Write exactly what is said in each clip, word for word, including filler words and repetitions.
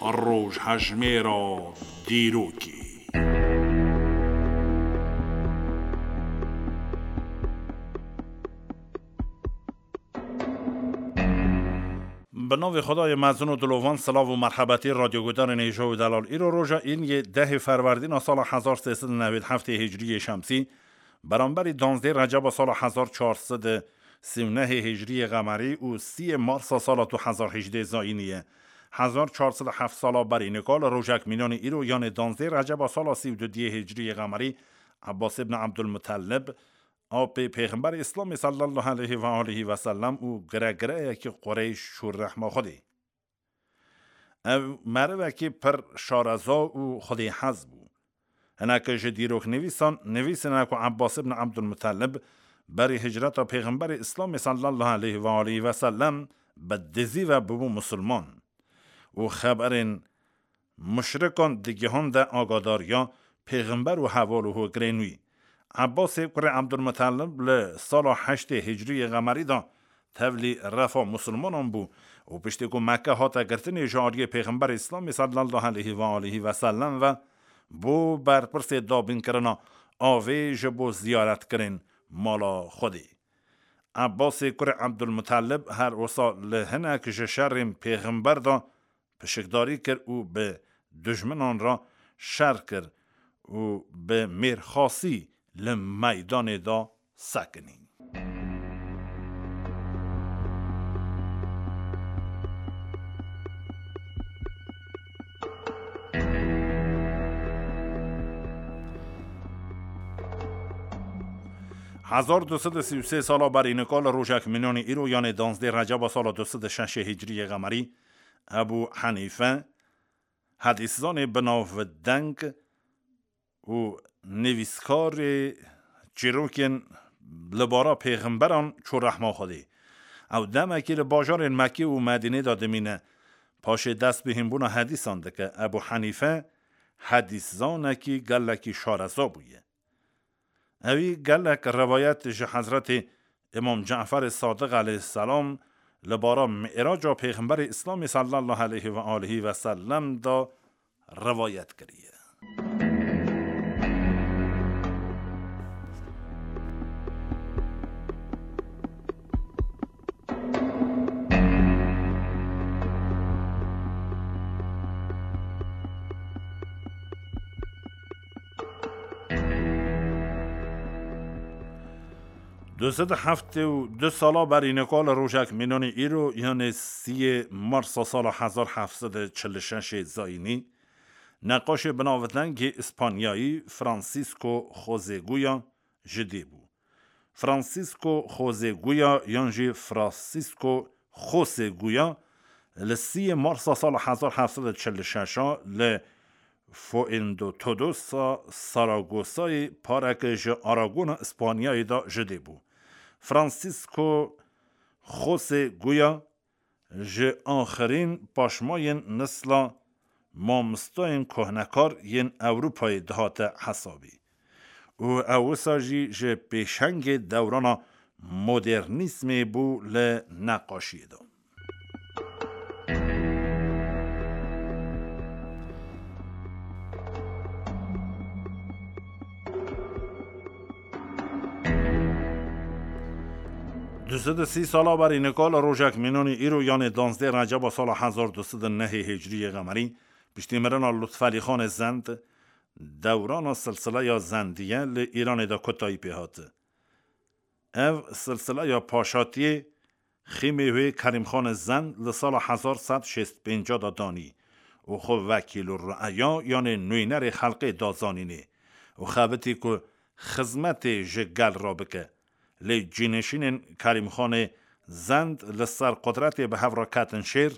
Rojhejmêra dîrokê. Bi navê Xwedayê mezin û dilovan, silav û merhebetî radyoguhdarên hêja û delal. Îro roja în yê dehê Ferwerdîna sala hezar sê sed û newêd heftê hicriyê şemsî, beramberî danzdê Receba sala hezar çar sed û sî û nehê hicriyê qemerî û sîyê Marsa sala du hezar hejdê zayînî ye. Hezar çar sed û heft sala berî nika li rojek mînanî îro, yanê danzdê Receba sala sî û dudiyê hicriyê qemerî, Ebbas ibn Ebdulmutellib, apê Pêxemberê Îslamê sallallahu aleyhi ve aleyhi ve sellem û giregireyekî Qureyş şûr rehma Xwedê. Ew merivekî pir şareza û xwedêhez bû. Hineke ji dîroknivîsan nivîsine ku Ebbas ibn Ebdulmutellib berî hicreta Pêxemberê Îslamê sallallahu aleyhi ve aleyhi ve sellem bi dizî ve bibû musulman û xeberên muşrikan digihande agadariya Pêxember û heval û hogirên wî. Ebbasê kurê Ebdulmutellib li sala heştê hicriyê qemerî de tevlî refa musulmanan bû û piştî ku Mekke hate girtinê ji aliyê Pêxemberê Îslamê sallallahu aleyhi ve aleyhi ve sellem ve, bû berpirsê dabînkirina avê ji bo ziyaretkirin mala Xwedê. Ebbasê kurê Ebdulmutellib her wisa li hinek ji şerên Pêxember de pişikdarî kir û bi dijminan re şer kir û bi mêrxasî li meydanê de sekinî. Hezar du sed û sî û sê sala berî nika li rojek mînanî îro, yanê danzdê Receba sala du sed û şeşê hicriyê qemerî, Ebû Henîfe, hedîszanê binavdeng û nivîskarê çîrokên li bara pêxemberan çû rehma Xwedê. Ew demekî li bajarên Mekkê û Medînê de dimîne. Paşê dest bi hînbûna hedîsan dike. Ebû Henîfe hedîszanekî gelekî şareza bûye. Ewî gelek rewayet ji Hezretê Îmam Caferê Sadiq aleyhisselam li bara Mi'raca Pêxemberê Îslamê sallallahu aleyhi ve aleyhi ve sellem de rewayet kiriye. Du sed û heftê û du sala berî nika li rojek mînanî îro, yanê siyê Marsa sala hezar heft sed û çil û şeş zayînî, neqaşê binavdengê Îspanyayî Francisco José Goya ji dê bû. Francisco José Goya yan jî Francisco José Goya li siyê Marsa sala hezar heft sed û çil û şeş li Fuendotodosa Saragosayê pareke ji Aragona Îspanyayê de ji dê bû. Francisco José Goya ji axirîn paşmayên nesla mamostayên kohnekar yên Ewropayê dihate hesabî û ew wisa jî ji pêşengê dewrana modernîzmê bû li neqaşiyê de. Du sed û sî sala berî nika li rojek mînanî îro, yanê danzdê Receba sala hezar du sed û nehê Hicriyê Qemerî, piştî mirina Lutfelî Xanê Zend, dewrana silsileya Zendiye li Îranê de kotayî pê hat. Ev silsileya paşatiyê xîmê wê Kerîmxanê Zend li sala hezar sed şêst pênc de danî û xwe wekîl û re'eya, yanê nûnerê xelkê da zanînê û xebitî ku xizmetê ji gel re bike. Lê cînişînên Kerîmxanê Zend li ser qudretê bi hev re ketin şêr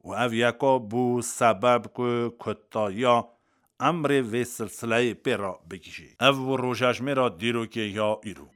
û ev yeka bû sebeb ku kutayiya emrê vê silsileyê pê re bigihîşê. Ev bû rojejmêra dîrokê ya îro.